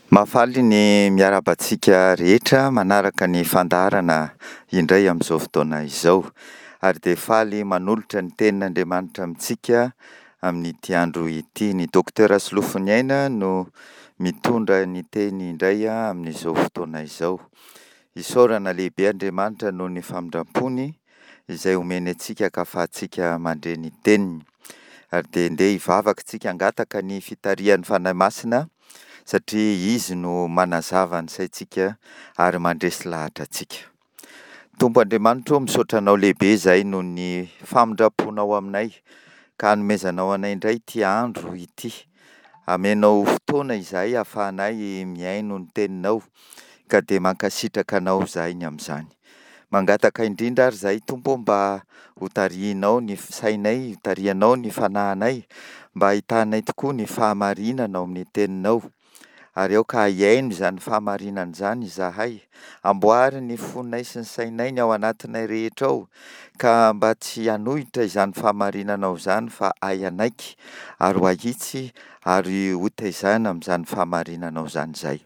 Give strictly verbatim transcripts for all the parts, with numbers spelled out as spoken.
Mahafaly ny miarahaba antsika rehetra manaraka ny fandaharana indray amin'izao fotoana izao. Ary dia faly manolotra ny tenin'Andriamanitra amintsika amin'ity andro ity. Ny Docteur Solofoniaina no mitondra ny teny indray amin'izao fotoana izao. Isaorana lehibe Andriamanitra noho ny famindram-pony izay omeny antsika ka ahafahantsika mandre ny teniny. Ary dia ndeha hivavaka isika hangataka ny fitarihan'ny Fanahy Masina satria Izy no manazava ny saintsika ary mandresy lahatra antsika. Tompo Andriamanitra ô, misaotra Anao lehibe izahay noho ny famindram-ponao aminay ka hanomezanao anay indray ity andro ity. Amenao fotoana izahay hahafahanay mihaino ny teninao ka dia mankasitraka Anao izahay ny amin'izany. Mangataka indrindra ary izahay Tompo ô mba hotarihinao ny sainay, hotarihanao ny fanahinay mba hahitanay tokoa ny fahamarinana ao amin'ny teninao ary aoka hihaino izany fahamarinana izany izahay. Amboary ny fonay sy ny sainay ny ao anatinay rehetra ao ka mba tsy hanohitra izany fahamarinanao izany fa hay hanaiky ary ho ahitsy ary hotaizana amin'izany fahamarinanao izany izahay.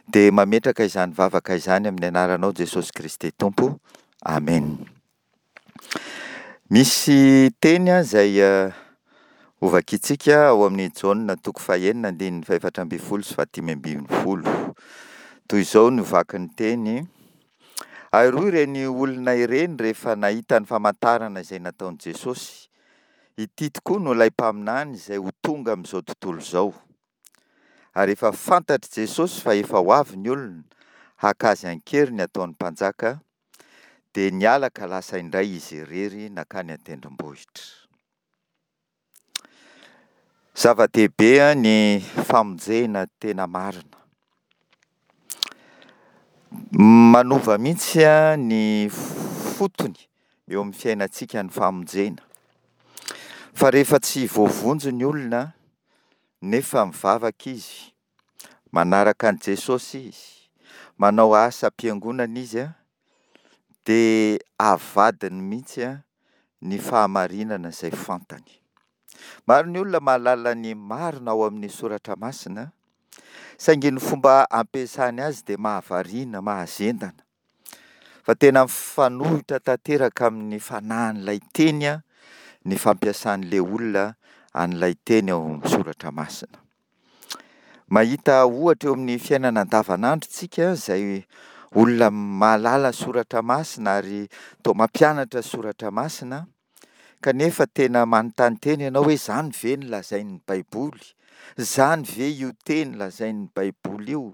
Dia mametraka izany vavaka izany amin'ny anaranao Jesosy Kristy Tompo. Amen. Misy teny izay hovakintsika ao amin'ny Jaona toko fahenina andininy fahefatra ambin'ny folo sy fahadimy ambin'ny folo. Toy izao no vakin'ny teny: Ary hoy ireny olona ireny rehefa nahita ny famantarana izay nataon'i Jesosy: Ity tokoa no ilay mpaminany izay ho tonga amin'izao tontolo izao. Ary efa fantatr'i Jesosy fa efa ho avy ny olona haka azy an-keriny hataony mpanjaka, dia niala ka lasa indray izy irery nankany an-tendrombohitra. Zava-dehibe ny famonjena tena marina. Manova mihitsy ny fotony eo amin'ny fiainantsika ny famonjena. Fa rehefa tsy voavonjy ny olona nefa mivavaka izy, manaraka an'i Jesosy izy, manao asam-piangonana izy, dia avadiny mihitsy ny fahamarinana izay fantany. Maro ny olona mahalala ny marina ao amin'ny soratra masina, saingy ny fomba ampiasany azy dia mahavariana, mahazendana. Fa tena mifanohitra tanteraka amin'ny fanahin'ilay teny ny fampiasan'ilay olona an'ilay teny ao amin'ny soratra masina. Mahita ohatra eo amin'ny fiainana andavanandro tsika izay olona mahalala soratra masina ary toa mampianatra soratra masina, kanefa tena manontany tena ianao hoe izany ve no lazain'ny Baiboly? Izany ve io teny lazain'ny Baiboly io?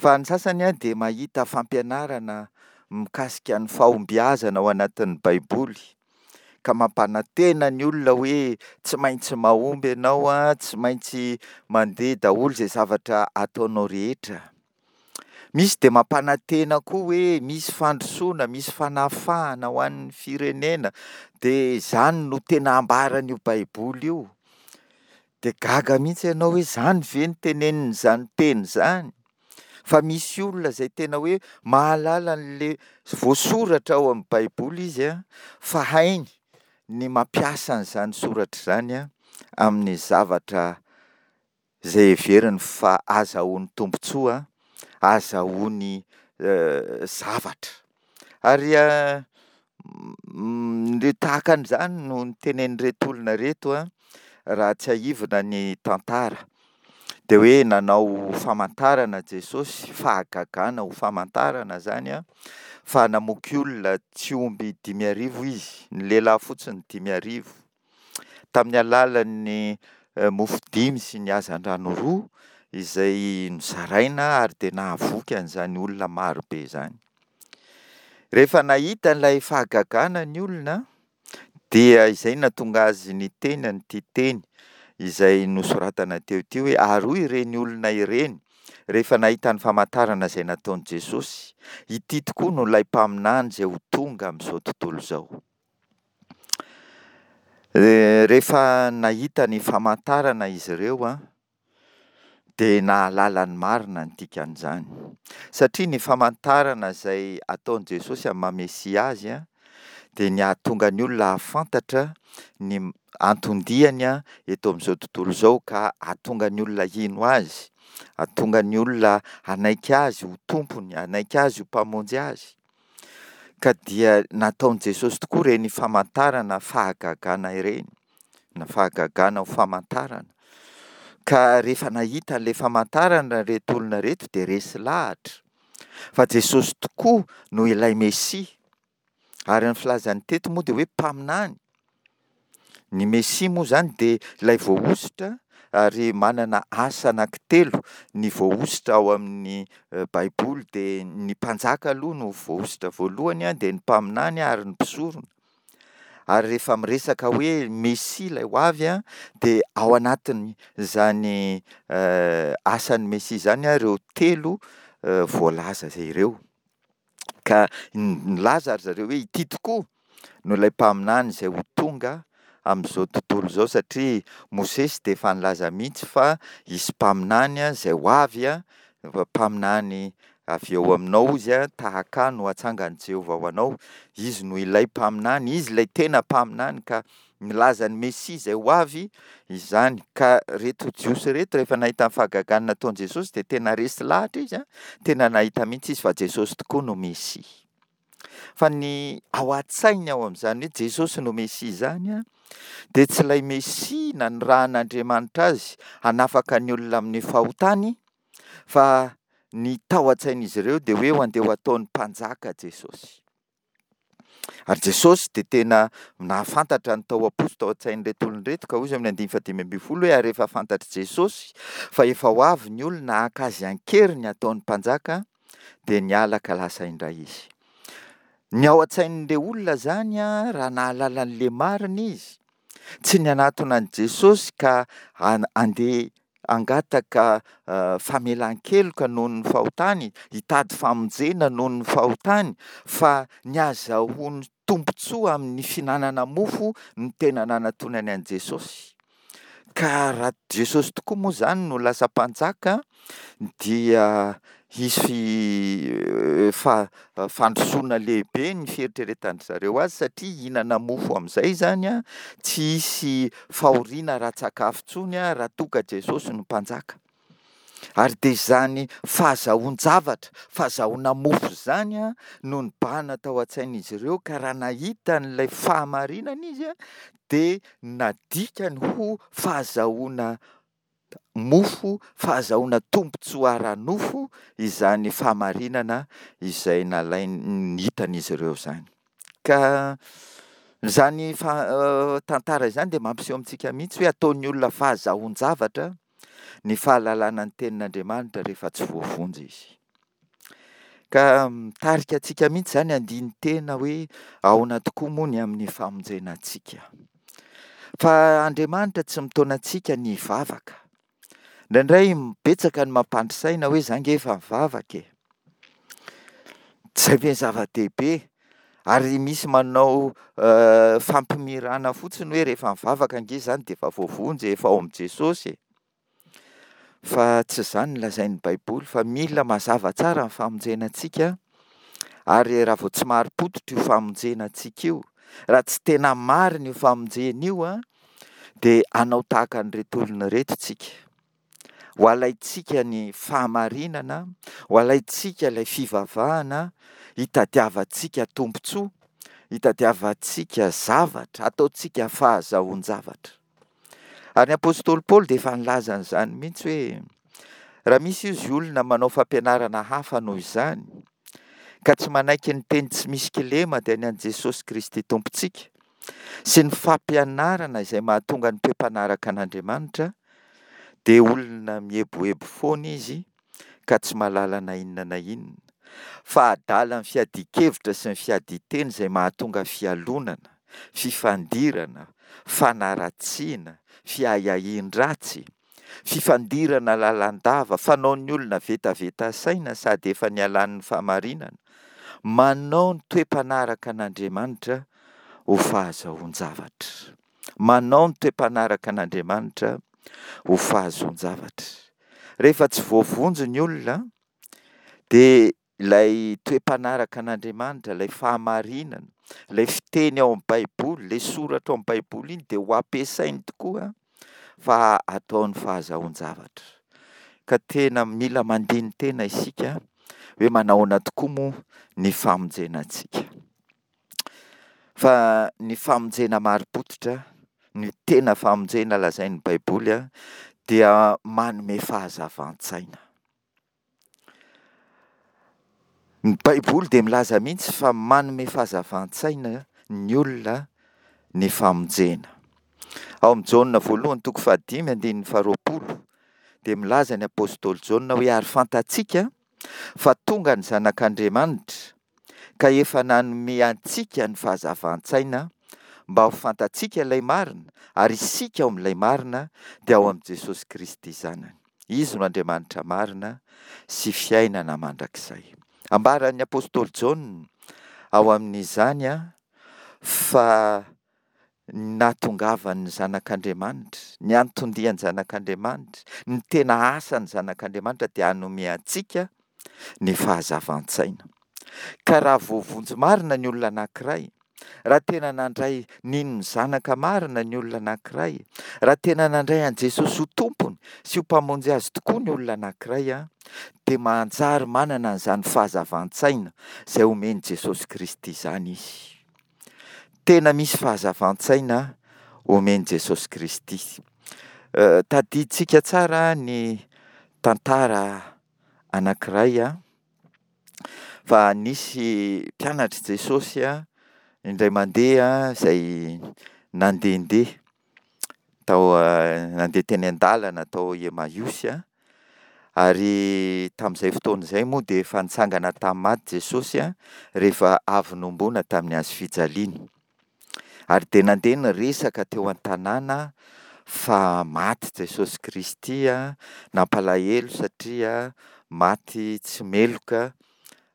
Fa ny sasany dia mahita fampianarana mikasika ny fahombiazana ao anatin'ny Baiboly, ka mampanantena ny olona hoe tsy maintsy mahomby ianao, tsy maintsy mandeha daholo izay zavatra ataonao rehetra. Misy dia mampanantena koa hoe misy fandrosoana, misy fanafahana ho an'ny firenena, dia izany no tena ambaran'io Baiboly io. Dia gaga mihitsy ianao hoe izany ve no tenenin'izany teny izany? Fa misy olona izay tena hoe mahalala an'ilay voasoratra ao amin'ny Baiboly izy, fa hainy ny mampiasa an'izany soratra izany amin'ny zavatra izay heveriny fa azahoany tombontsoa, azahoany zavatra. Ary ny tahaka an'izany no notenenin'ireto olona ireto raha tsiahivina ny tantara. Dia hoe nanao famantarana Jesosy, fahagagana ho famantarana izany, fa namoky olona tsy omby dimy arivo izy, ny lehilahy fotsiny dimy arivo, tamin'ny alalan'ny mofo dimy sy ny hazandrano roa izay nozaraina ary dia nahavoky an'izany olona marobe izany. Rehefa nahita ilay fahagagana ny olona dia izay no nahatonga azy niteny an'ity teny izay nosoratana teo ity hoe: ary hoy ireny olona ireny rehefa nahita ny famantarana izay nataon'i Jesosy, ity tokoa no ilay mpaminany izay ho tonga amin'izao tontolo izao. Rehefa nahita ny famantarana izy ireo dia nahalala ny marina ny dikan'izany. Satria ny famantarana izay ataon'i Jesosy amin'ny maha Mesia azy dia ny hahatonga ny olona hahafantatra ny anton-diany eto amin'izao tontolo izao ka hahatonga ny olona hino Azy, hahatonga ny olona hanaiky Azy ho Tompony, hanaiky Azy ho Mpamonjy azy. Ka dia nataon'i Jesosy tokoa ireny famantarana fahagagana ireny, na fahagagana ho famantarana. Ka rehefa nahita an'ilay famantarana ireto olona ireto dia resy lahatra fa Jesosy tokoa no ilay Mesia. Ary ny filazany teto moa dia hoe mpaminany. Ny Mesia moa izany dia ilay voahosotra ary manana asa anankitelo ny voahosotra ao amin'ny Baiboly, dia ny mpanjaka aloha no voahosotra voalohany, dia ny mpaminany ary ny mpisorona. Ary rehefa miresaka hoe Mesia ilay ho avy, dia ao anatin'izany asan'ny Mesia izany ireo telo voalaza ireo. Ka nilaza ry zareo hoe ity tokoa no ilay mpaminany izay ho tonga amin'izao tontolo izao, satria Mosesy dia efa nilaza mihitsy fa hisy mpaminany izay ho avy, mpaminany avy eo aminao izy, tahaka ahy no hatsangan'i Jehovah ho anao. Izy no ilay mpaminany, izy ilay tena mpaminany, ka milaza ny Mesia izay ho avy izany. Ka ireto Jiosy ireto rehefa nahita ny fahagagana nataon'i Jesosy dia tena resy lahatra izy, tena nahita mihitsy izy fa Jesosy tokoa no Mesia. Fa ny ao an-tsainy ao amin'izany hoe Jesosy no Mesia izany dia tsy ilay Mesia nanirahan'Andriamanitra azy hanafaka ny olona amin'ny fahotany, fa ny tao an-tsain'izy ireo dia hoe ho andeha ho ataon'ny mpanjaka Jesosy. Ary Jesosy dia tena nahafantatra ny tao am-po sy tao an-tsain'ireto olona ireto, ka hoy izy amin'ny andininy fahadimy ambin'ny folo hoe, ary rehefa fantatr'i Jesosy fa efa ho avy ny olona haka azy an-keriny hataon'ny mpanjaka, dia niala ka lasa indray izy. Ny ao an-tsain'ilay olona izany, raha nahalala an'ilay marina izy, tsy ny hanatona an'i Jesosy ka handeha hangataka famelan-keloka noho ny fahotany, hitady famonjena noho ny fahotany, fa ny hahazahoany tombontsoa amin'ny fihinanana mofo no tena nanatonany an'i Jesosy. Ka raha Jesosy tokoa moa izany no lasa mpanjaka dia hisy fa-, fandrosoana lehibe ny fieritreretan-dry zareo azy, satria hihinana mofo amin'izay izany an, tsy hisy fahoriana ara-tsakafo intsony an, raha toa ka Jesosy no mpanjaka. Ary dia izany fahazahoan-javatra, fahazahoana mofo izany an, no nibahana tao an-tsain'izy ireo, ka raha nahita an'ilay fahamarinana izy an, dia nadikany ho fahazahoana mofo, fahazahoana tombontsoa ara-nofo izany fahamarinana izay nalainy, hitan'izy ireo izany. Ka izany fa-, tantara izany dia mampiseho amintsika mihitsy hoe ataon'ny olona fahazahoan-javatra ny fahalalana ny tenin'Andriamanitra rehefa tsy voavonjy izy. Ka mitarika antsika mihitsy izany handini-tena hoe ahoana tokoa moa ny amin'ny famonjena antsika. Fa Andriamanitra tsy mitaona antsika ny hivavaka. Indraindray betsaka ny mampandry saina hoe za nge efa mivavaka e. Tsy zay ve ny zava-dehibe? Ary misy manao fampimirana fotsiny hoe rehefa mivavaka ange izany dia efa voavonjy, efa ao amin'i Jesosy e. Fa tsy izany no lazain'ny Baiboly, fa mila mazava tsara ny famonjena antsika, ary raha vao tsy marim-pototra io famonjena antsika io, raha tsy tena marina io famonjena io an, dia hanao tahaka an'ireto olona ireto tsika. Ho alaintsika ny fahamarinana, ho alaintsika ilay fivavahana, hitadiavantsika tombontsoa, hitadiavantsika zavatra, ataontsika fahazahoan-javatra. Ary ny apostoly Paoly dia efa nilaza an'izany mihitsy hoe raha misy izy olona manao fampianarana hafa noho izany, ka tsy manaiky ny teny tsy misy kilema dia ny an'i Jesosy Kristy Tompontsika, sy ny fampianarana izay mahatonga ny toe-panaraka an'Andriamanitra, dia olona mieboebo foana izy ka tsy mahalala na inona na inona, fa adala ny fiadian-kevitra sy ny fiadian-teny izay mahatonga fialonana, fifandirana, fanaratsiana, fiahiahian-dratsy, fifandirana lalandava, fanaon'ny olona vetaveta saina sady efa nialan'ny fahamarinana, manao ny toe-panaraka an'Andriamanitra ho fahazahoan-javatra. Manao ny toe-panaraka an'Andriamanitra ho fahazoan-javatra. Rehefa tsy voavonjy ny olona, dia ilay toe-panaraka an'Andriamanitra, ilay fahamarinana, Ilay fiteny ao amin'ny Baiboly, ilay soratra ao amin'ny Baiboly iny dia ho ampiasainy tokoa fa ataony fahazahoan-javatra. Ka tena mila mandini-tena isika hoe manahoana tokoa moa ny famonjena antsika. Fa ny famonjena marim-pototra, ny tena famonjena lazain'ny Baiboly dia manome fahazavan-tsaina. Ny Baiboly dia milaza mihitsy fa manome fahazavan-tsaina ny olona ny famonjena. Ao amin'ny Jaona voalohany toko fahadimy andininy faharoapolo dia milaza ny apostoly Jaona hoe ary fantatsika fa tonga ny Zanak'Andriamanitra ka efa nanome antsika ny fahazavan-tsaina mba ho fantatsika ilay marina, ary isika ao amin'ilay marina dia ao amin'i Jesosy Kristy Zanany. Izy no Andriamanitra marina sy fiainana mandrakizay. Ambaran'ny apostoly Jaona ao amin'izany fa ny nahatongavan'ny Zanak'Andriamanitra, ny anton-dian'ny Zanak'Andriamanitra, ny tena asan'ny Zanak'Andriamanitra dia hanome antsika ny fahazavan-tsaina. Ka raha voavonjy marina ny olona anankiray, raha tena nandray nino ny Zanaka marina ny olona anankiray, raha tena nandray an'i Jesosy ho Tompony sy ho Mpamonjy azy tokoa ny olona anankiray, dia manjary manana an'izany fahazavan-tsaina izay omen'i Jesosy Kristy izany izy. Tena misy fahazavan-tsaina omen'i Jesosy Kristy. Tadidintsika tsara ny tantara anankiray fa nisy mpianatr'i Jesosy indray mandeha izay nandehandeha tao, nandeha teny an-dalana tao Emmaüs, ary tamin'izay fotoana izay moa dia efa nitsangana tamin'ny maty Jesosy rehefa avy nohomboana tamin'ny hazo fijaliana. Ary dia nandeha niresaka teo an-tanàna fa maty Jesosy Kristy, nampalahelo satria maty tsy meloka,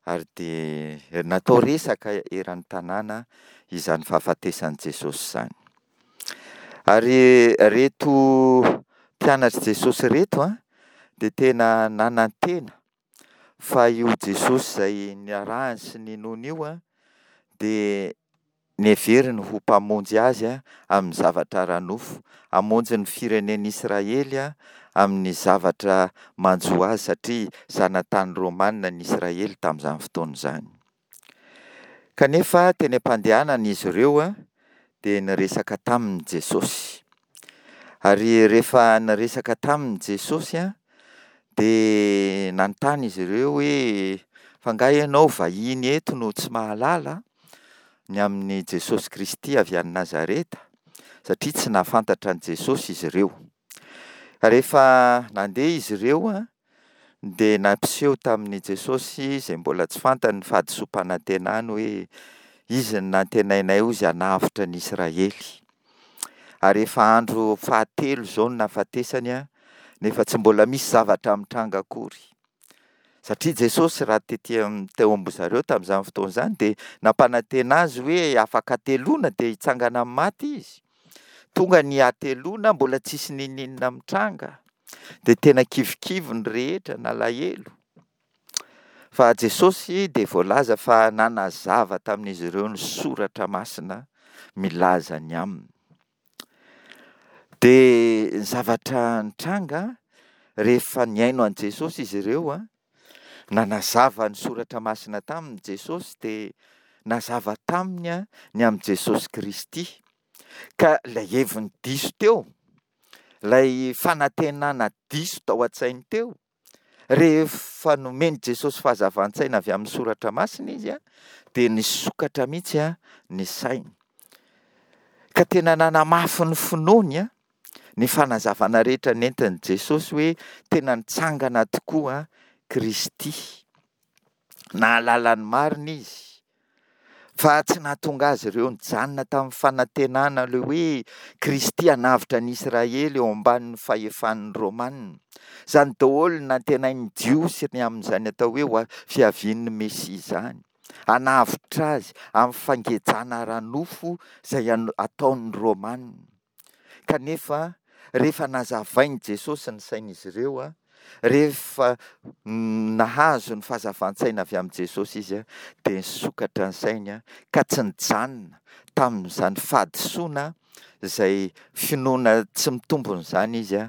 ary dia natao resaka eran'ny tanàna izany fahafatesan'i Jesosy izany. Ary ireto mpianatr'i Jesosy ireto dia tena nanantena fa io Jesosy izay niarahany sy ninoany io dia neveriny ho mpamonjy azy amin'ny zavatra ara-nofo, hamonjy ny firenen'Israely amin'ny zavatra manjo azy satria zanatany Romana ny Israely tamin'izany fotoana izany. Kanefa teny am-pandehanana izy ireo dia niresaka taminy Jesosy. Ary rehefa niresaka taminy Jesosy dia nanontany izy ireo hoe fa angaha ianao vahiny eto no tsy mahalala ny amin'i Jesosy Kristy avy any Nazareta, satria tsy nahafantatra an'i Jesosy izy ireo. Rehefa nandeha izy ireo dia nampiseho tamin'i Jesosy izay mbola tsy fantany ny fahadisoam-panantenany hoe izy no nantenainay hozy hanavotra ny Israely. Ary efa andro fahatelo izao no nahafatesany nefa tsy mbola misy zavatra mitranga akory. Satria Jesosy raha tety am-, teo amin-dry zareo tamin'izany fotoana izany dia nampanantena azy hoe afaka hateloana dia hitsangana amin'ny maty izy. Tonga ny hateloana mbola tsisy n'inon'inona mitranga. Dia tena kivikivy ny rehetra, nalahelo. Fa Jesosy dia voalaza fa nanazava tamin'izy ireo ny soratra masina milaza ny aminy. Dia ny zavatra nitranga rehefa nihaino an'i Jesosy izy ireo, nanazava ny soratra masina taminy Jesosy, dia nazava taminy ny amin'i Jesosy Kristy. Ka ilay heviny diso teo, ilay fanantenana diso tao an-tsainy teo, rehefa nomen'i Jesosy fahazavan-tsaina avy amin'ny soratra masina izy, dia nisokatra mihitsy ny sainy. Ka tena nanamafy ny finoany ny fanazavana rehetra nentin'i Jesosy hoe tena nitsangana tokoa Kristy. Nahalala ny marina izy, fa tsy nahatonga azy ireo nijanona tamin'ny fanantenana ilay hoe Kristy hanavotra ny Israely eo ambanin'ny fahefan'ny Romana. Izany daholo no nantenain'ny Jiosy ny amin'izany atao hoe fiavian'ny Mesia izany. Hanavotra azy amin'ny fangejana ara-nofo izay ataon'ny Romana. Kanefa rehefa nazavain'i Jesosy ny sain'izy ireo, Rehefa nahazo ny fahazavan-tsaina avy amin'i Jesosy izy dia nisokatra ny sainy ka tsy nijanona tamin'izany fahadisoana izay finoana tsy mitombina izany izy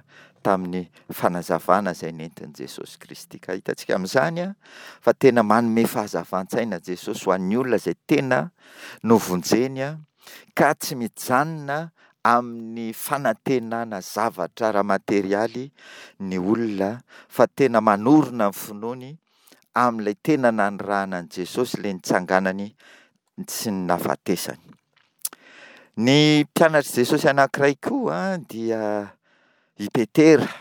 tamin'ny fanazavana izay nentin'i Jesosy Kristy. Ka hitantsika amin'izany fa tena manome fahazavan-tsaina Jesosy ho an'ny olona izay tena novonjeny ka tsy mijanona amin'ny fanantenana zavatra ara-materialy ny olona fa tena manorina ny finoany amin'ilay tena nanirahana an'i Jesosy, ilay nitsanganany sy ny nahafatesany. Ny mpianatr'i Jesosy anankiray koa dia i Petera.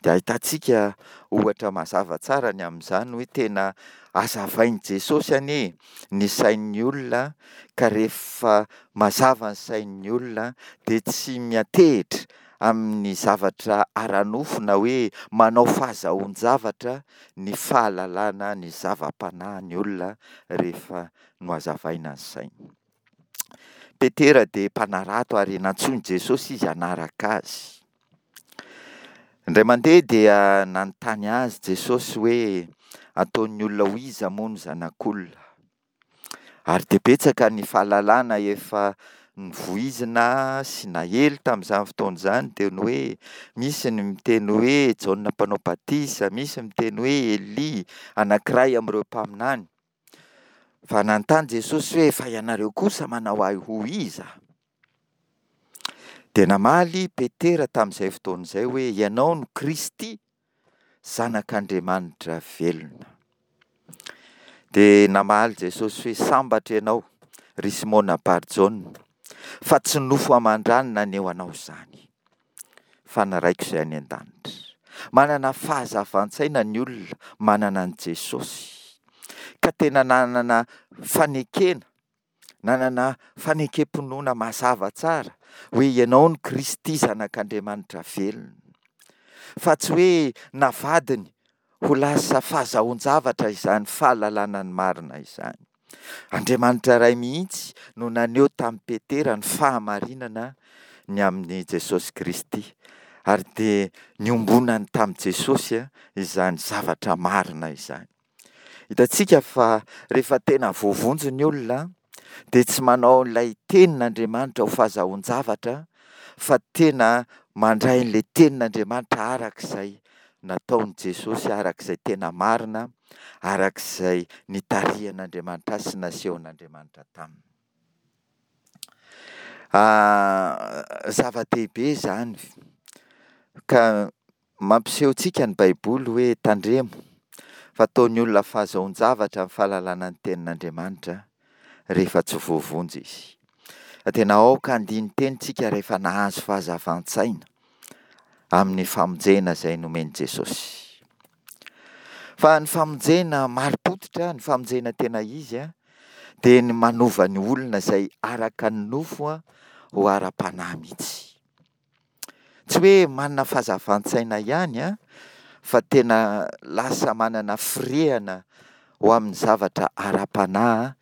Dia ahitantsika ohatra mazava tsara ny amin'izany hoe tena hazavain'i Jesosy anie ny sain'ny olona ka rehefa mazava ny sain'ny olona dia tsy miantehitra amin'ny zavatra ara-nofo na hoe manao fahazahoan-javatra ny fahalalana ny zava-panahy ny olona rehefa nohazavaina ny sainy. Petera dia mpanarato ary nantsoin'i Jesosy izy hanaraka azy. Indray mandeha dia nanontany azy Jesosy hoe ataon'ny olona ho iza moa ny zanak'olona? Ary dia betsaka ny fahalalana efa novoizina sy nahely tamin'izany fotoana izany, dia ny hoe misy ny miteny hoe Jaona mpanao batisa, misy miteny hoe Elia, anankiray amin'ireo mpaminany. Fa nanontany Jesosy hoe fa ianareo kosa manao ahy ho iza? Dia namaly Petera tamin'izay fotoana izay hoe ianao no Kristy, Zanak'Andriamanitra velona. Dia namaly Jesosy hoe sambatra ianao, ry Simona Barjaona, fa tsy nofo aman-drà no naneho anao izany, fa ny Raiko izay any an-danitra. Manana fahazavan-tsaina ny olona manana an'i Jesosy, ka tena nanana fanekena, nanana fanekem-pinoana mazava tsara hoe ianao no Kristy Zanak'Andriamanitra velona, fa tsy hoe navadiny ho lasa fahazahoan-javatra izany fahalalana ny marina izany. Andriamanitra Ray mihitsy no naneho tamin'i Petera ny fahamarinana ny amin'i Jesosy Kristy, ary dia niombonany tamin'i Jesosy izany zavatra marina izany. Hitantsika fa rehefa tena voavonjy ny olona dia tsy manao ilay tenin'Andriamanitra ho fahazahoan-javatra fa tena mandray an'ilay tenin'Andriamanitra arak'izay nataon'i Jesosy, arak'izay tena marina, arak'izay nitarihan'Andriamanitra azy sy nasehon'Andriamanitra taminy. Zava-dehibe izany ka mampiseho antsika ny Baiboly hoe tandremo fa ataon'ny olona fahazahoan-javatra ny fahalalana ny tenin'Andriamanitra rehefa tsy voavonjy izy. Fa tena aoka handini-teny tsika rehefa nahazo fahazavan-tsaina amin'ny famonjena izay nomen'i Jesosy. Fa ny famonjena marim-pototra, ny famonjena tena izy, dia ny manova ny olona izay araka ny nofo ho ara-panahy mihitsy. Tsy hoe manana fahazavan-tsaina ihany, fa tena lasa manana firehana ho amin'ny zavatra ara-panahy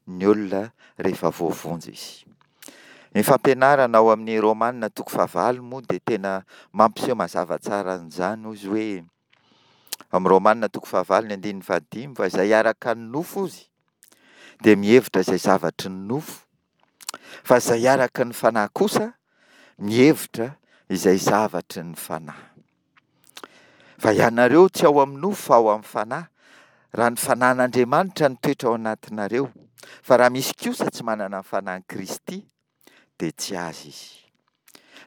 ny olona rehefa voavonjy izy. Ny fampianarana ao amin'ny Romana toko fahavalo moa dia tena mampiseho mazava tsara an'izany hozy hoe amin'ny Romana toko fahavalo ny andininy fahadimy, fa izay araka ny nofo hozy dia mihevitra izay zavatry ny nofo, fa izay araka ny fanahy kosa mihevitra izay zavatry ny fanahy. Fa ianareo tsy ao amin'ny nofo fa ao amin'ny fanahy, raha ny fanahin'Andriamanitra nitoetra ao anatinareo. Fa raha misy kosa tsy manana ny fanahin'i Kristy dia tsy azy izy.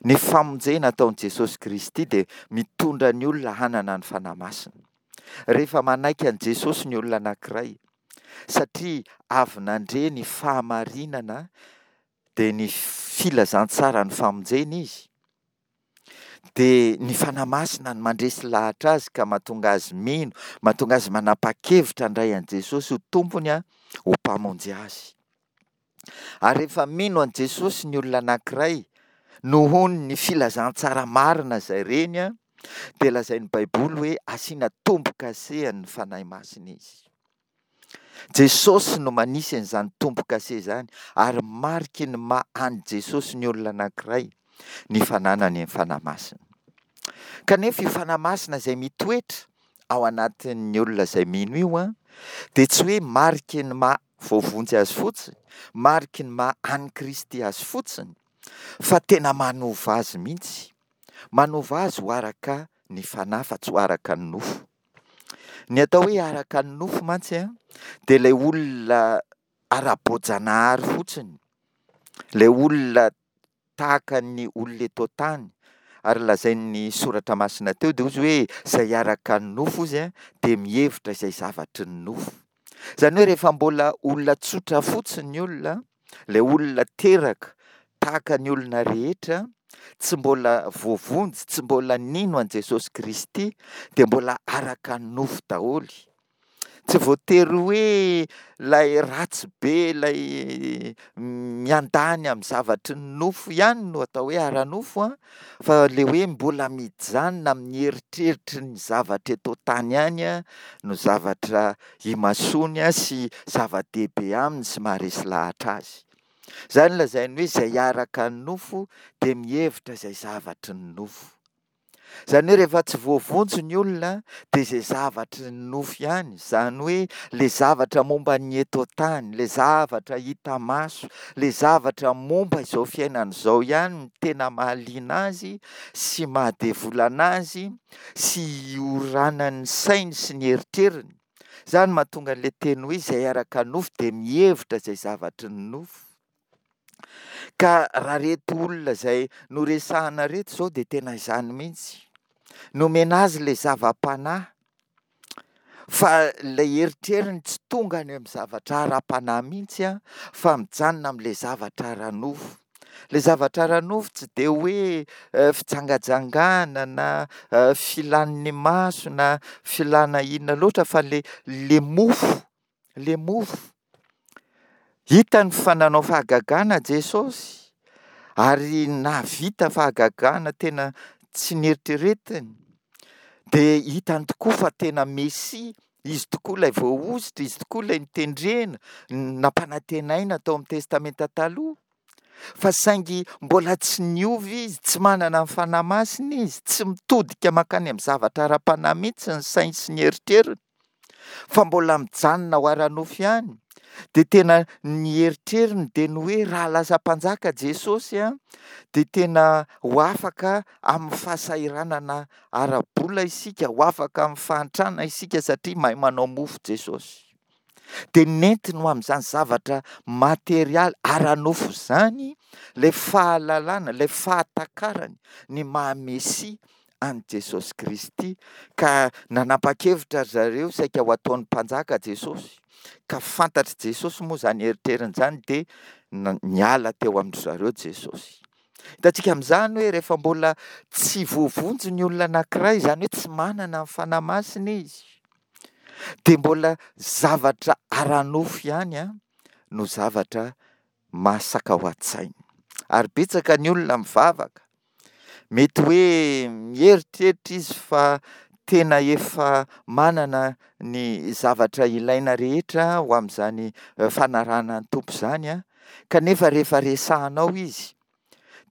Ny famonjena ataon'i Jesosy Kristy dia mitondra ny olona hanana ny Fanahy Masina. Rehefa manaiky an'i Jesosy ny olona anankiray, satria avy nandre ny fahamarinana dia ny filazantsaran'ny famonjena izy, dia ny Fanahy Masina no mandresy lahatra azy ka mahatonga azy mino, mahatonga azy manapa-kevitra handray an'i Jesosy ho tompony, ho mpamonjy azy. Ary rehefa mino an'i Jesosy ny olona anankiray noho ny filazantsara marina izay reny, dia lazain'ny Baiboly hoe asiana tombo-kasehan'ny Fanahy Masina izy. Jesosy no manisy an'izany tombo-kase izany, ary mariky ny maha an'i Jesosy ny olona anankiray ny fananany ny Fanahy Masina. Kanefa io Fanahy Masina izay mitoetra ao anatin'ny olona izay mino io an, dia tsy hoe mariky ny maha voavonjy azy fotsiny, mariky ny maha an'i Kristy azy fotsiny, fa tena manova azy mihitsy. Manova azy ho araka ny fanahy fa tsy ho araka ny nofo. Ny atao hoe araka ny nofo mantsy an, dia ilay olona ara-boajanahary fotsiny, ilay olona tahaka ny olona eto an-tany, ary lazain'ny soratra masina teo dia hozy hoe izay araka ny nofo hozy an, dia mihevitra izay zavatry ny nofo. Izany hoe rehefa mbola olona tsotra fotsiny ny olona, ilay olona teraka tahaka ny olona rehetra, tsy mbola voavonjy, tsy mbola nino an'i Jesosy Kristy, dia mbola araka ny nofo daholo. Tsy voatery hoe ilay ratsy be, ilay miandany amin'ny zavatry ny nofo ihany no atao hoe ara-nofo an, fa ilay hoe mbola mijanona amin'ny eritreritry ny zavatra eto an-tany ihany no zavatra imasoany sy zava-dehibe aminy sy maharesy lahatra azy. Izany no lazainy hoe izay araka ny nofo dia mihevitra izay zavatry ny nofo. Izany hoe rehefa tsy voavonjy ny olona dia izay zavatry ny nofo ihany, izany hoe ilay zavatra momba ny eto an-tany, ilay zavatra hita maso, ilay zavatra momba izao fiainana izao ihany no tena mahaliana azy sy mahadevolana azy sy ioranan'ny sainy sy ny eritreriny. Izany no mahatonga an'ilay teny hoe izay araka ny nofo dia mihevitra izay zavatry ny nofo. Ka raha ireto olona izay noresahana ireto izao dia tena izany mihitsy. Nomena azy ilay zava-panahy, fa ilay eritreriny tsy tonga any amin'ny zavatra ara-panahy mihitsy an, fa mijanona amin'ilay zavatra ara-nofo. Ilay zavatra ara-nofo tsy dia hoe fijangajangana na filan'ny maso na filana inona loatra fa ilay, ilay mofo, ilay mofo. Hitany fa nanao fahagagana Jesosy ary nahavita fahagagana tena tsy neritreretiny. Dia hitany tokoa fa tena Mesia, izy tokoa ilay voahosotra, izy tokoa ilay notendrena, nampanantenaina tao amin'ny Testamenta Taloha. Fa saingy mbola tsy niova izy, tsy manana ny Fanahy Masina izy, tsy mitodika mankany amin'ny zavatra ara-panahy mihitsy ny sainy sy ny eritreriny, fa mbola mijanona ho ara-nofo ihany. Dia tena ny eritreriny dia ny hoe raha lasa mpanjaka Jesosy an, dia tena ho afaka amin'ny fahasahiranana ara-bola isika, ho afaka amin'ny fahantrana isika satria mahay manao mofo Jesosy. Dia nentiny ho amin'izany zavatra materialy ara-nofo izany ilay fahalalana, ilay fahatakarany ny maha Mesia an'i Jesosy Kristy, ka nanapa-kevitra ry zareo saika ho ataon'ny mpanjaka Jesosy, ka fantatr'i Jesosy moa izany eritreriny izany dia niala teo amin-dry zareo Jesosy. Hitantsika amin'izany hoe rehefa mbola tsy voavonjy ny olona anankiray, izany hoe tsy manana ny Fanahy Masina izy, dia mbola zavatra ara-nofo ihany an, no zavatra masaka ao an-tsainy. Ary betsaka ny olona mivavaka. Mety hoe mieritreritra izy fa tena efa manana ny zavatra ilaina rehetra ho amin'izany fanarahana ny Tompo izany an, kanefa rehefa resahanao izy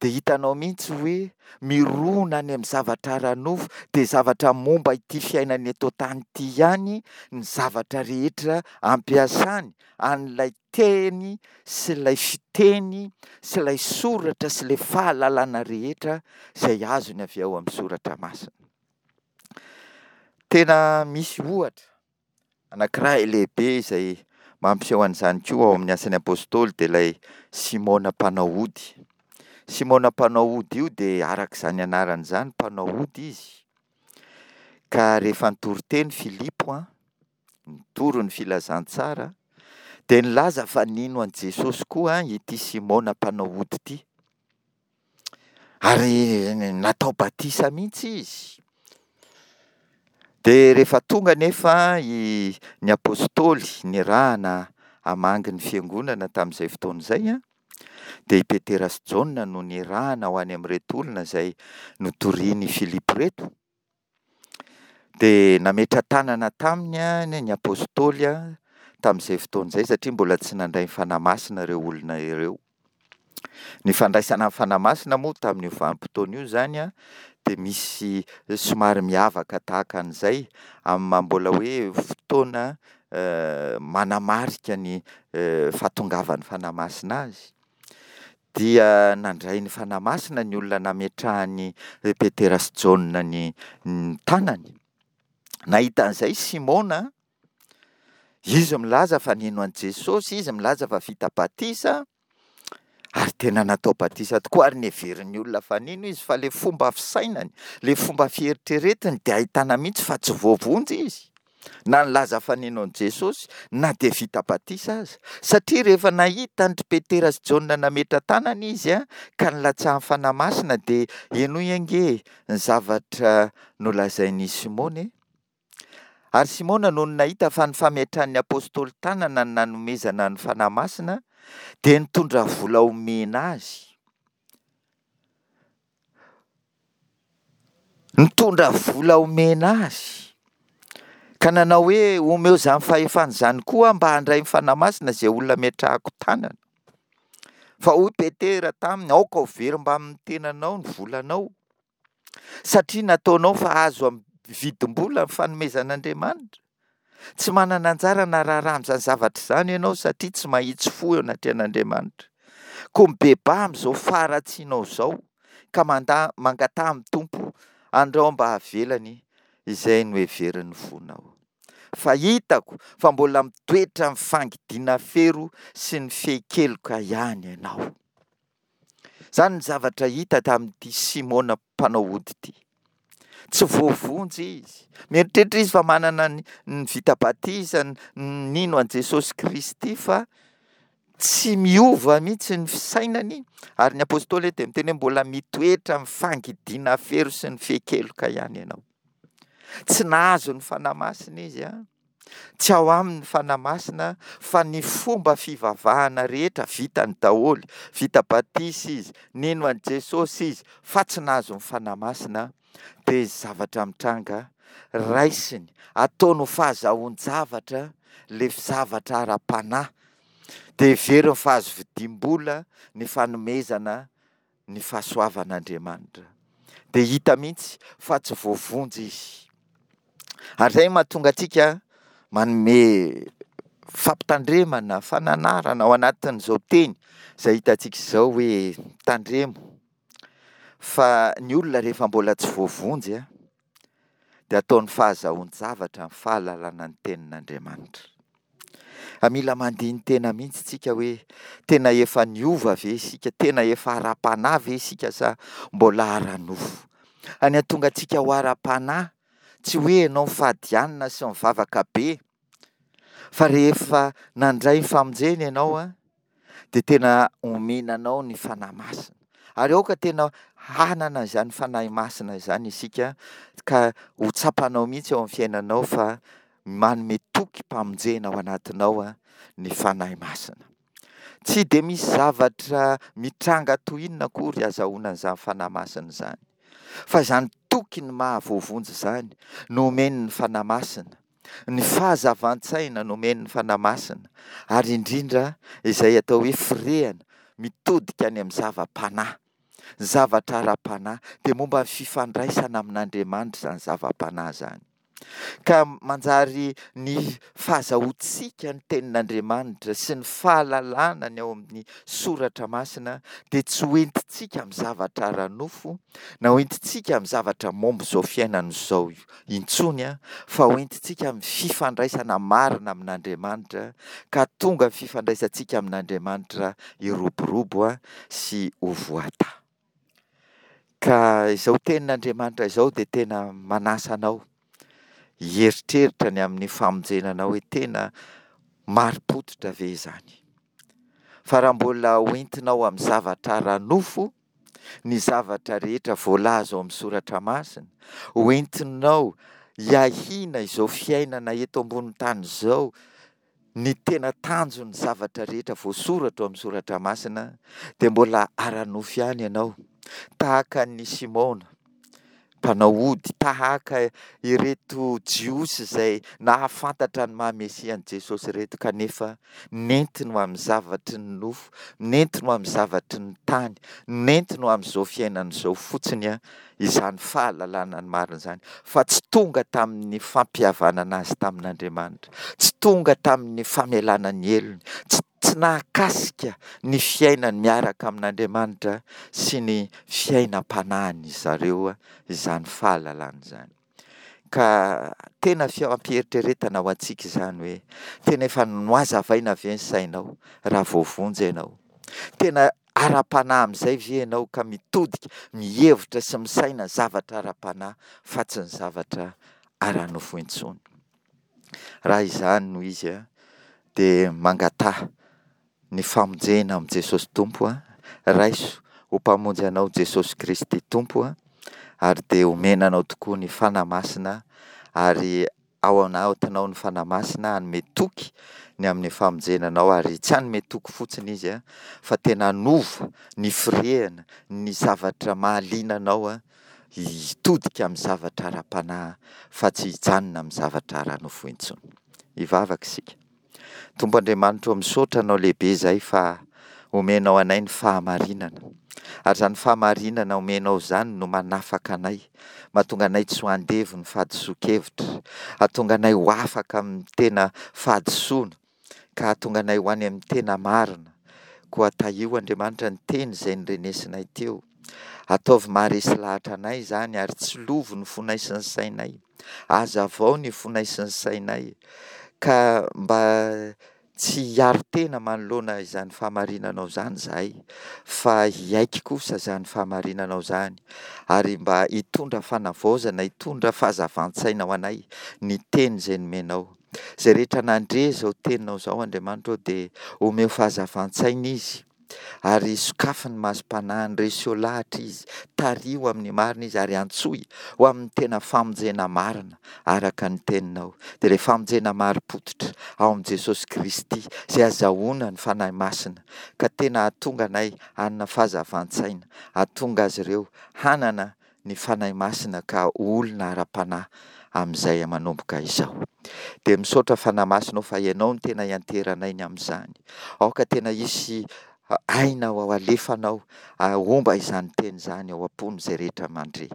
dia hitanao mihitsy hoe mirona any amin'ny zavatra ara-nofo, dia zavatra momba ity fiainana eto an-tany ity ihany ny zavatra rehetra ampiasany an'ilay teny sy ilay fiteny sy ilay soratra sy ilay fahalalana rehetra izay azony avy ao amin'ny soratra masina. Tena misy ohatra anankiray lehibe izay mampiseho an'izany koa ao amin'ny Asan'ny Apostoly dia ilay Simona mpanao ody. Simona mpanao ody io dia araka izany anarany izany mpanao ody izy. Ka rehefa nitory teny Filipo an, nitory ny filazantsara, dia nilaza fa nino an'i Jesosy koa ity Simona mpanao ody ity. Ary natao batisa mihitsy izy. Dia rehefa tonga anefa i, ny apostoly nirahana hamangy ny fiangonana tamin'izay fotoana izay an, dia i Petera sy Jaona no nirahana ho any amin'ireto olona izay notorian'i Filipo ireto. Dia nametra-tanana taminy ny apostoly tamin'izay fotoana izay satria mbola tsy nandray ny Fanahy Masina ireo olona ireo. Ny fandraisana ny Fanahy Masina moa tamin'io vanim-potoana io izany dia misy somary miavaka tahaka an'izay amin'ny maha mbola hoe fotoana manamarika ny fahatongavan'ny Fanahy Masina azy. Dia nandray ny Fanahy Masina ny olona nametrahan'i Petera sy Jaona ny ny tanany. Nahita an'izay Simona, izy milaza fa nino an'i Jesosy, izy milaza fa vita batisa, ary tena natao batisa tokoa, ary neverin'ny olona fa nino izy, fa ilay fomba fisainany, ilay fomba fieritreretiny dia ahitana mihitsy fa tsy voavonjy izy, na nilaza fa nino an'i Jesosy, na dia vita batisa aza. Satria rehefa nahita an-dry Petera sy Jaona nametra-tanana izy ka nilatsahan'ny Fanahy Masina, dia henoy ange ny zavatra nolazain'i Simona e. Ary Simona nony nahita fa ny fametrahan'ny apostoly tanana no nanomezana ny Fanahy Masina, dia nitondra vola homena azy. Nitondra vola homena azy. Ka nanao hoe, omeo izany fahefana izany koa aho mba handray ny Fanahy Masina izay olona ametrahako tanana. Fa hoy Petera taminy, aoka ho very mbamin'ny tenanao ny volanao, satria nataonao fa azo amin'ny vidim-bola ny fanomezan'Andriamanitra. Tsy manana anjara na raharaha amin'izany zavatra izany ianao satria tsy mahitsy fo eo anatrehan'Andriamanitra. Koa mibebaha amin'izao faharatsianao izao ka mandà, mangataha amin'ny Tompo andrao mba havelany izay noheverin'ny fonao. Fa hitako fa mbola mitoetra amin'ny fangidiana fero sy ny fehin-keloka ihany ianao. Izany ny zavatra hita tamin'ity Simona mpanao ody ity. Tsy voavonjy izy. Mieritreritra izy fa manana ny, ny vita batisa, ny, nino an'i Jesosy Kristy, fa tsy miova mihitsy ny fisainany, ary ny apostoly eto dia miteny hoe mbola mitoetra amin'ny fangidiana fero sy ny fehin-keloka ihany ianao. Tsy nahazo ny Fanahy Masina izy, an. Tsy ao aminy ny Fanahy Masina, fa ny fomba fivavahana rehetra vitany daholo. Vita batisa izy, nino an'i Jesosy izy, fa tsy nahazo ny Fanahy Masina. Dia zavatra mitranga, raisiny, ataony ho fahazahoan-javatra ilay zavatra ara-panahy. Dia heveriny fa azo vidiam-bola ny fanomezana ny fahasoavan'Andriamanitra. Dia hita mihitsy fa tsy voavonjy izy. Ary izay no mahatonga antsika manome fampitandremana, fananarana ao anatin'izao teny izay hitantsika izao hoe tandremo fa ny olona rehefa mbola tsy voavonjy dia ataony fahazahoan-javatra ny fahalalana ny tenin'Andriamanitra. Mila mandini-tena mihitsy tsika hoe tena efa niova ve isika, tena efa ara-panahy ve isika sa mbola ara-nofo. Ny hahatonga antsika ho ara-panahy, tsy hoe ianao mifady hanina sy mivavaka be, fa rehefa nandray ny famonjena ianao an, dia tena omena anao ny Fanahy Masina. Ary aoka tena hanana izany Fanahy Masina izany isika ka ho tsapanao mihitsy eo amin'ny fiainanao fa manome tokim-pamonjena ao anatinao ny Fanahy Masina. Tsy dia misy zavatra mitranga toy inona akory azahoana an'izany Fanahy Masina izany. Fa izany toky ny maha voavonjy izany no omen'ny Fanahy Masina, ny fahazavan-tsaina no omen'ny Fanahy Masina, ary indrindra izay atao hoe firehana mitodika any amin'ny zava-panahy, zavatra ara-panahy, dia momba ny fifandraisana amin'Andriamanitra izany zava-panahy izany. Ka manjary ny fahazahoantsika ny tenin'Andriamanitra sy ny fahalalana ny ao amin'ny soratra masina dia tsy ho entintsika amin'ny zavatra ara-nofo na ho entintsika amin'ny zavatra momba izao fiainana izao intsony, fa ho entintsika amin'ny fifandraisana marina amin'Andriamanitra, ka tonga ny fifandraisantsika amin'Andriamanitra hiroborobo sy ho voatahy. Ka izao tenin'Andriamanitra izao dia tena manasa anao hieritreritra ny amin'ny famonjena anao hoe tena marim-pototra ve izany. Fa raha mbola hoentinao amin'ny zavatra ara-nofo ny zavatra rehetra voalaza ao amin'ny soratra masina, hoentinao hiahiana izao fiainana eto ambonin'ny tany izao, ny tena tanjon'ny zavatra rehetra voasoratra ao amin'ny soratra masina, dia mbola ara-nofo ihany ianao, tahaka an'i Simona, mpanao ody, tahaka ireto Jiosy izay nahafantatra ny maha Mesia an'i Jesosy ireto, kanefa nentiny ho amin'ny zavatry ny nofo, nentiny ho amin'ny zavatry ny tany, nentiny ho amin'izao fiainana izao fotsiny izany fahalalana ny marina izany, fa tsy tonga tamin'ny fampihavanana azy tamin'Andriamanitra, tsy tonga tamin'ny famelana ny helony, tsy tsy nahakasika ny fiainany miaraka amin'Andriamanitra sy ny fiainam-panahin'izy zareo izany fahalalana izany. Ka tena fampieritreretana ho antsika izany hoe tena efa nohazavaina ve ny sainao raha voavonjy ianao? Tena ara-panahy amin'izay ve ianao ka mitodika, mihevitra sy misaina zavatra ara-panahy fa tsy ny zavatra ara-nofo intsony? Raha izany no izy dia mangataha ny famonjena amin'i Jesosy Tompo, raiso ho Mpamonjy anao Jesosy Kristy Tompo, ary dia omena anao tokoa ny Fanahy Masina, ary ao anatinao ny Fanahy Masina hanome toky ny amin'ny famonjena anao, ary tsy hanome toky fotsiny Izy fa tena hanova ny firehana, ny zavatra mahaliana anao hitodika amin'ny zavatra ara-panahy fa tsy hijanona amin'ny zavatra ara-nofo intsony. Hivavaka isika. Tompo Andriamanitra ô, misaotra Anao lehibe izahay fa omenao anay ny fahamarinana. Ary izany fahamarinana omenao izany no manafaka anay, mahatonga anay tsy ho andevo ny fahadisoan-kevitra, hahatonga anay ho afaka amin'ny tena fahadisoana, ka hahatonga anay ho any amin'ny tena marina. Koa tahio Andriamanitra ny teny izay norenesinay teo. Ataovy maharesy lahatra anay izany ary tsilovy ny fonay sy ny sainay. Hazavao ny fonay sy ny sainay ka mba tsy hiaro tena manoloana izany fahamarinanao izany izahay fa hiaiky kosa izany fahamarinanao izany ary mba hitondra fanavaozana, hitondra fahazavan-tsaina ho anay ny teny izay nomenao. Izay rehetra nandre izao teninao izao Andriamanitra ô dia omeo fahazavan-tsaina izy ary sokafy ny masom-panahiny, reseo lahatra izy, tariho amin'ny marina izy ary antsoy ho amin'ny tena famonjena marina araka ny teninao. Dia ilay famonjena marim-pototra ao amin'i Jesosy Kristy izay azahoana ny Fanahy Masina ka tena hahatonga anay hanana fahazavan-tsaina, hahatonga azy ireo hanana ny Fanahy Masina ka ho olona ara-panahy amin'izay manomboka izao. Dia misaotra Fanahy Masina ô fa Ianao no tena ianteranay ny amin'izany. Aoka tena hisy aina ho alefanao homba izany teny izany ao am-pon'izay rehetra mandre.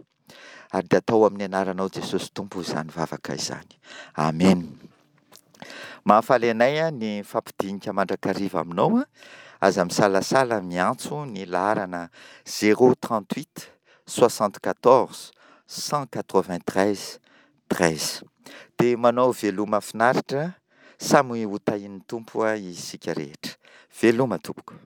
Ary dia atao amin'ny anaranao Jesosy Tompo izany vavaka izany. Amen. Mahafaly anay ny fampidinika mandrakariva aminao. Aza misalasala miantso ny laharana zéro trente huit soixante quatorze cent quatre vingt treize treize. Dia manao veloma finaritra, samy ho tahian'ny Tompo isika rehetra. Veloma tompoko.